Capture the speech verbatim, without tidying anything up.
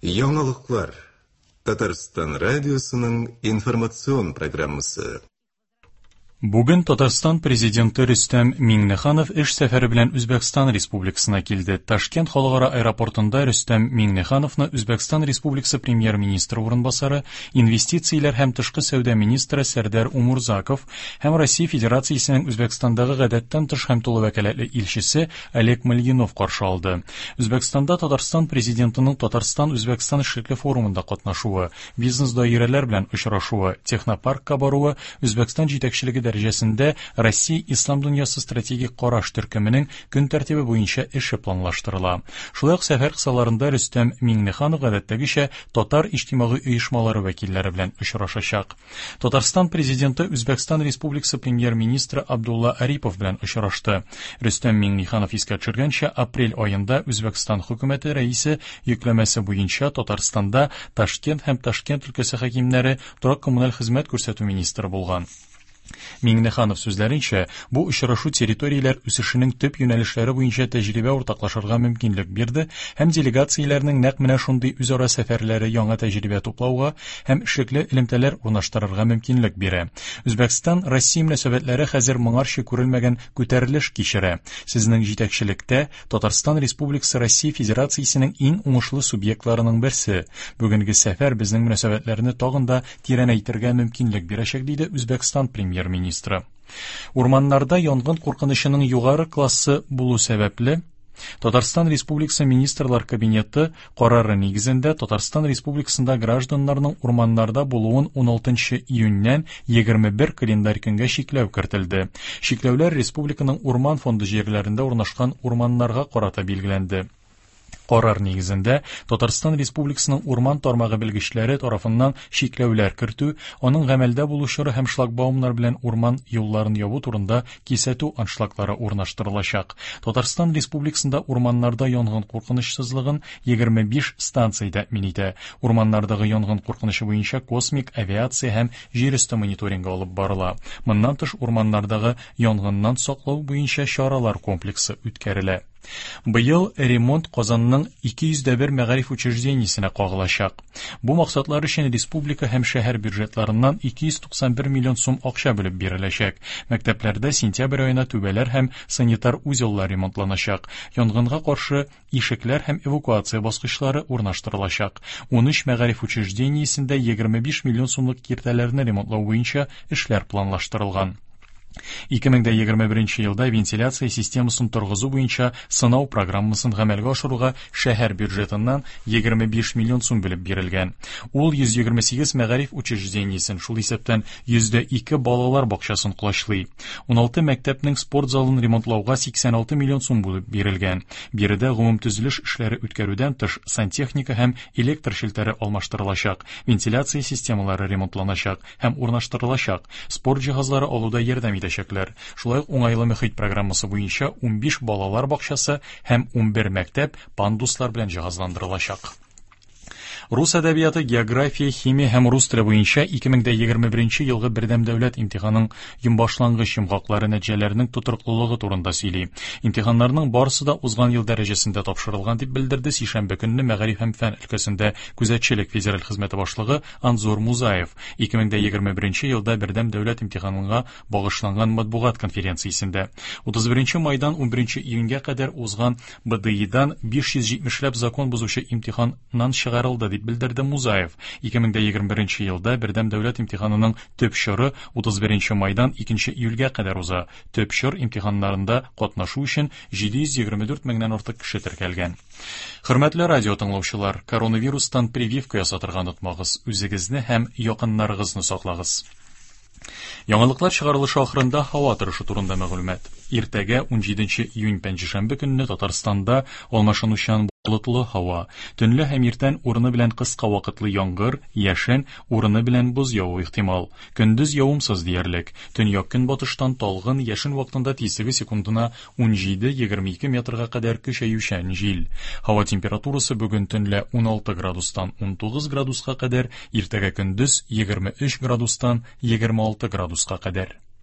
Яңалыклар. Татарстан радиосының информацион программасы. Бүген Татарстан президенты Рөстәм Миңнеханов эш сәфәре белән Үзбәкстан Республикасына килде. Ташкент халыкара аэропортында Рөстәм Миңнехановны Үзбәкстан Республикасы премьер-министры урынбасары, инвестицияләр һәм тышкы сәүдә министры Сәрдәр Умурзаков һәм Россия Федерациясенең Үзбәкстандагы гадәттән тыш һәм тулы вәкаләтле илчесе Олег Мальгинов каршы алды. Үзбәкстанда Татарстан президентының Татарстан-Үзбәкстан эшлекле форумында катнашуы, бизнес даирәләр белән очрашуы, технопаркка баруы, Үзбәкстан җитәкчелеге дәрәҗәсендә Россия Ислам дөньясы стратегик караш төркеменең көн тәртибе буенча эше планлаштырыла. Шулай ук сәфәр кысаларында Рөстәм Миңнеханов гадәттәгечә татар иҗтимагый оешмалары вәкилләре белән очрашачак. Татарстан президенты Үзбәкстан Республикасы премьер-министры Абдулла Арипов белән очрашты. Рөстәм Миңнеханов искә төшергәнчә, апрель аенда Үзбәкстан хөкүмәте рәисе йөкләмәсе буенча Татарстанда Ташкент һәм Ташкент өлкәсе хакимнәре торак-коммуналь хезмәт күрсәтү министры булган. Миңнеханов сүзләренчә, бу очрашу территорияләр үсешенең төп юнәлешләре буенча тәҗрибә уртаклашырга мөмкинлек бирде һәм делегацияләрнең нәкъ менә шундый үзара сәфәрләре яңа тәҗрибә туплауга һәм эшлекле элемтәләр урнаштырырга мөмкинлек бирә. Үзбәкстан Россия мөнәсәбәтләре хәзер моңарчы күрелмәгән күтәрелеш кичерә. Сезнең җитәкчелектә Татарстан Республикасы Россия Федерациясенең иң уңышлы субъектларының берсе. Бүгенге сәфәр безнең мөнәсәбәтләрне тагын да тирәнәйтергә мөмкинлек бирәчәк, диде Үзбәкстан премьер-министры. Урманнарда янгын куркынычының югары классы булу сәбәпле, Татарстан Республикасы Министрлар Кабинеты карары нигезендә Татарстан Республикасында гражданнарның урманнарда булуын уналтынчы июньнән егерме бер календарь көнгә чикләү кертелде. Чикләүләр республиканың урман фонды җирләрендә урнашкан урманнарга карата билгеләнде. Карар нигезендә Татарстан Республикасының урман тармагы белгечләре тарафыннан чикләүләр кертү, аның гамәлдә булу чоры һәм шлагбаумнар белән урман юлларын ябу турында кисәтү аншлаглары урнаштырылачак. Татарстан Республикасында урманнарда янгын куркынычсызлыгын егерме биш станция тәэмин итә. Урманнардагы янгын куркынычы буенча космик авиация һәм җир өсте мониторингы алып барыла. Моннан тыш урманнардагы янгыннан саклау буенча чаралар комплексы үткәрелә. Быел ремонт Казанның ике йөз дә бер мәгариф учреждениесенә кагылачак. Бу максатлар өчен республика һәм шәһәр бюджетларыннан ике йөз туксан бер миллион сум акча бүлеп биреләчәк. Мәктәпләрдә сентябрь аена түбәләр һәм санитар узеллар ремонтланачак. Янгынга каршы ишекләр һәм эвакуация баскычлары урнаштырылачак. Унөч мәгариф учреждениесендә егерме биш миллион сумлык киртәләрне ремонтлау буенча эшләр планлаштырылган. Ике мең дә егерме беренче елда вентиляция системасын торгызу буенча сынау программасын гамәлгә ашыруга шәһәр бюджетыннан егерме биш миллион сум бүлеп бирелгән. Ул йөз егерме сигез мәгариф учреждениесен, шул исәптән йөз дә ике балалар бакчасын колачлый. Уналты мәктәпнең спорт залын ремонтлауга сиксән алты миллион сум бүлеп бирелгән. Биредә гомум төзелеш эшләре үткәрүдән тыш сантехника һәм электр челтәре алмаштырылачак, вентиляция системалары ремонтланачак һәм урнаштырылачак, спорт җиһазлары алуда ярдәм итәчәкләр. Шулай ук уңайлы мөхит программасы буенча унбиш балалар бакчасы һәм унбер мәктәп пандуслар белән җиһазландырылачак. Рус әдәбияты, география, химия һәм рус теле буенча ике мең дә егерме беренче елгы бердәм дәүләт имтиханының йомбашлангыч йомгаклары нәтиҗәләренең тотрыклылыгы турында сөйли. Имтиханнарның барысы да узган ел дәрәҗәсендә тапшырылган дип белдерде сишәмбе көнне мәгариф һәм фән өлкәсендә күзәтчелек федераль хезмәте башлыгы Анзор Музаев. Ике мең дә егерме беренче елда бердәм дәүләт имтиханына багышланган матбугат конференциясендә утыз беренче майдан унберенче июньгә кадәр узган Б Д Идан биш йөз җитмешләп закон бозучы имтиханнан чыгарылды дип белдерде Музаев. Ике мең дә егерме беренче елда бердәм дәүләт имтиханының төп чоры утыз беренче майдан икенче июльгә кадәр уза. Төп чор имтиханнарында катнашу өчен җиде йөз егерме дүрт меңнән артык кеше теркәлгән. Хөрмәтле радио тыңлаучылар, коронавирустан прививка ясатырга онытмагыз, үзегезне һәм якыннарыгызны саклагыз. Яңалыклар чыгарылышы ахырында һава торышы турында мәгълүмат. Иртәгә унҗиденче июнь пәнҗешәмбе көнне Татарстанда алмашынучан болытлы һава, төнлә һәм иртән урыны белән кыска вакытлы яңгыр, яшен, урыны белән боз яву ихтимал. Көндез явымсыз диярлек. Төньяк көнбатыштан талгын яшен вакытында тизлеге секундына унҗиде-егерме ике метрга кадәр көчәючән җил. Һава температурасы бүген төнлә уналты градустан унтугыз градуска кадәр, иртәгә көндез егерме өч градустан егерме алты градуска кадәр.